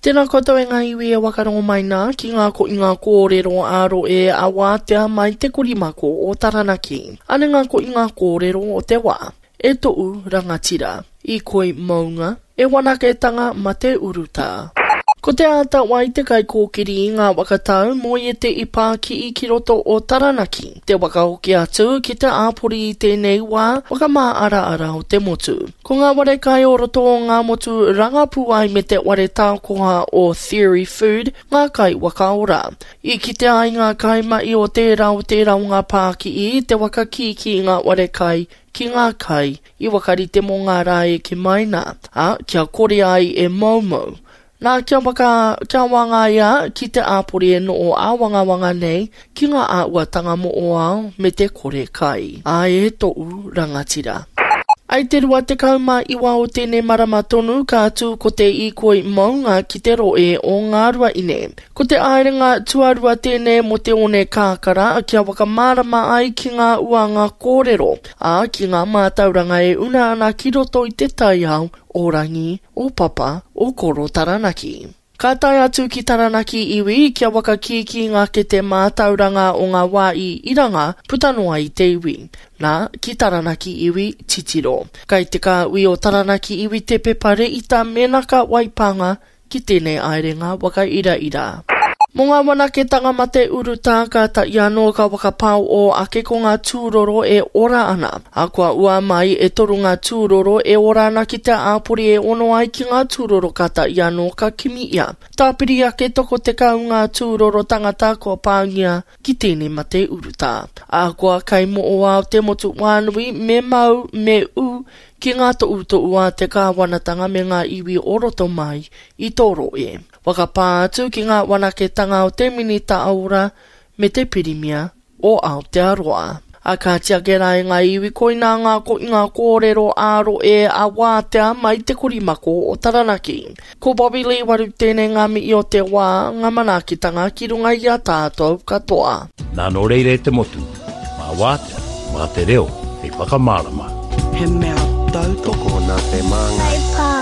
Tēnā koutou e ngā iwi e wakarongo mai nā ki ngā koinga kōrero ā-rohe a wātea mai te korimako o Taranaki. Ane ngā koinga kōrero o te wā. E toʻu rangatira. I koi mounga, e wanaketanga ma te urutā. Ko Te Āta Wai te kaikōkiri i ngā waka tau moe te i pākii ki roto o Taranaki, te waka hoki atu ki te āpori i tēnei wā whakamāaraara o te motu. Ko ngā ware kai o roto o ngā motu rangapū ai me te ware tākoha o Theory Food ngā kai waka ora. I kitea ai ngā kaimahi o tērā o tērā o ngā pākii i te waka kīkī i ngā ware kai ki ngā kai i wakarite mō ngā rā eke mai nā, ā, kia kore ai e moumou. Nā, kia waka, kia wāngaia ki te āpori e noho āwangawanga nei ki ngā āhuatanga moʻoao me te kore kai. Āe e toʻu rangatira. I te 29 o tēnei marama tonu ka tū ko te īkoi mounga ki te rohe o Ngāruaine. Ko te aerenga tuarua tēnei mō te one kakara kia whakamārama ai ki ngā uanga kōrero, ā, ki ngā mātauranga e una ana ki roto i te taiao o Rangi, o Papa, o Koro Taranaki. Ka tae atu ki Taranaki iwi kia whakakīkī ngā kete mātauranga o ngā wā i iranga puta noa i te iwi. Nā, ki Taranaki iwi, titiro. Kai te kāhui o Taranaki iwi te pepa reita mēnā ka waipānga ki tēnei aerenga whakairaira. Mō ngā wanaketanga mate urutā ka tahi anō ka whakapaoō ake ko ngā tūroro e ora ana. Ā, kua ua mai e toru ngā tūroro e ora ana ki te āpori e ono ai ki ngā tūroro ka tahi anō ka kimi ia. Tāpiri ake toko 10 ngā tūroro tangata kua pāngia ki tēnei mate urutā. Ahakoa kei moʻoao te motu whānui me mau, me ū ki ngā tohutohu a te kāwanatanga me ngā iwi o roto mai i tō rohe. Whakapā atu ki ngā wanaketanga o te Minita Ora me te Pirimia o Aotearoa. A ka tiake rā e ngā iwi koinā ngā koinga kōrero ā-rohe a wātea mai te korimako o Taranaki. Ko Bobby Lee Waru tēnei ngā mihi o te wā, ngā manaakitanga ki runga i a tātou katoa. Nā nō reira e te motu, mā wātea, mā te reo hei whakamārama. He mea tautoko nā te māngai.